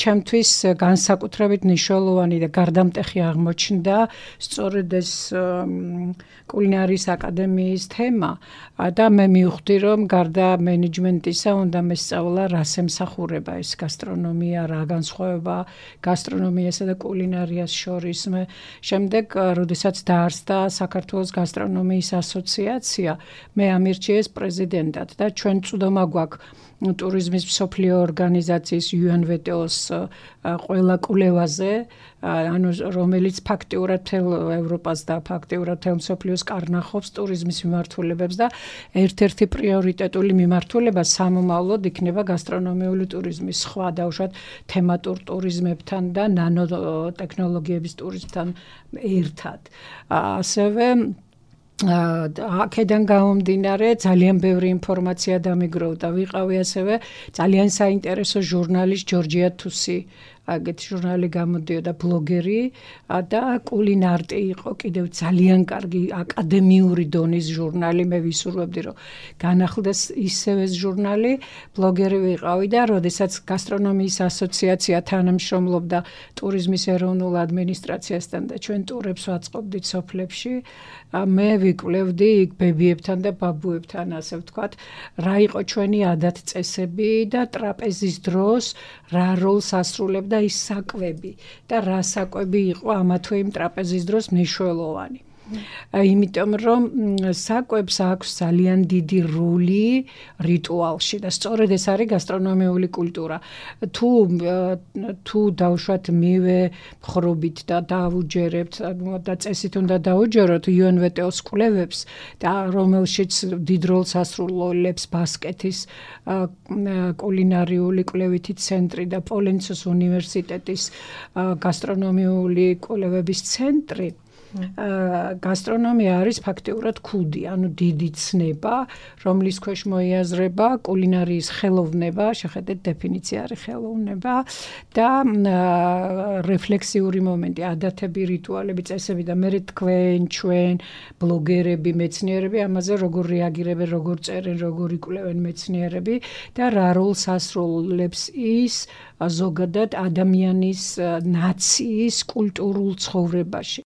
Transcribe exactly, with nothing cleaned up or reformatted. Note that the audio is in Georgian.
ჩემთვის განსაკუთრებით მნიშვნელოვანი და გარდამტეხი აღმოჩნდა სწორედ ეს კულინარიის აკადემიის თემა და მე მივხვდი რომ გარდა მენეჯმენტისა უნდა მესწავლა რას ემსახურება ეს გასტრონომია, რა განსხვავება გასტრონომიასა და კულინარიას შორის. მე შემდეგ როდესაც დაარსდა საქართველოს გასტრონომიის ასოციაცია, მე ამირჩიეს პრეზიდენტად და ჩვენ წვდომა გვაქვს ტურიზმის მსოფლიო ორგანიზაციის იუ ენ ვე ტე ოს ყველა კვლევაზე, ანუ რომელიც ფაქტიურად მთელ ევროპას და ფაქტიურად მთელ მსოფლიოს კარნახობს ტურიზმის მიმართულებებს და ერთ-ერთი პრიორიტეტული მიმართულება სამომავლოდ იქნება გასტრონომიული ტურიზმის, სხვა დაუშვათ თემატურ ტურიზმებთან და ნანოტექნოლოგიების ტურიზმთან ერთად. ასევე აქედან გამომდინარე ძალიან ბევრი ინფორმაცია დამიგროვდა. ვიყავი ასევე ძალიან საინტერესო ჟურნალის ჯორჯია თუსი აგეთი ჟურნალი გამოდიოდა ბლოგერი და კულინარტი იყო კიდევ ძალიან კარგი აკადემიური დონის ჟურნალი. მე ვისურვებდი რომ განახლდეს ისევ ეს ჟურნალი. ბლოგერი ვიყავი და როდესაც გასტრონომიის ასოციაცია თანამშრომლობდა ტურიზმის ეროვნულ ადმინისტრაციასთან და ჩვენ ტურებს ვაწყობდით სოფლებში, მე ვიკვლევდი იქ ბებიებთან და ბაბუებთან, ასე ვთქვათ, რა იყო ჩვენი ადათ-წესები და ტრაპეზის დროს რა როლს ასრულებდა ის საკვები და რა საკვები იყო ამა თუ იმ ტრაპეზის დროს მნიშვნელოვანი. იმიტომ რომ საკვებს აქვს ძალიან დიდი როლი რიტუალში და სწორედ ეს არის გასტრონომიული კულტურა. თუ თუ დავუშვათ მივე ხრობით და დავუჯერებთ და წესით უნდა დავუჯეროთ იუ ენ ვე ტე ოს კვლევებს და რომელშიც დიდ როლს ასრულებს ბასკეთის კულინარიული კვლევითი ცენტრი და პოლენცოს უნივერსიტეტის გასტრონომიული კვლევების ცენტრი. გასტრონომია არის ფაქტიურად ქუდი, ანუ დიდი ცნება, რომლის ქვეშ მოიაზრება კულინარიის ხელოვნება, შეხედეთ დეფინიცია არის ხელოვნება და რეფლექსიური მომენტი, ადათები, რიტუალები, წესები და მე თქვენ, ჩვენ, ბლოგერები, მეცნიერები ამაზე როგორ რეაგირებენ, როგორ წერენ, როგორ იკვლევენ მეცნიერები და რა როლს ასრულებს ის ზოგადად ადამიანის ნაციის კულტურულ ცხოვრებაში.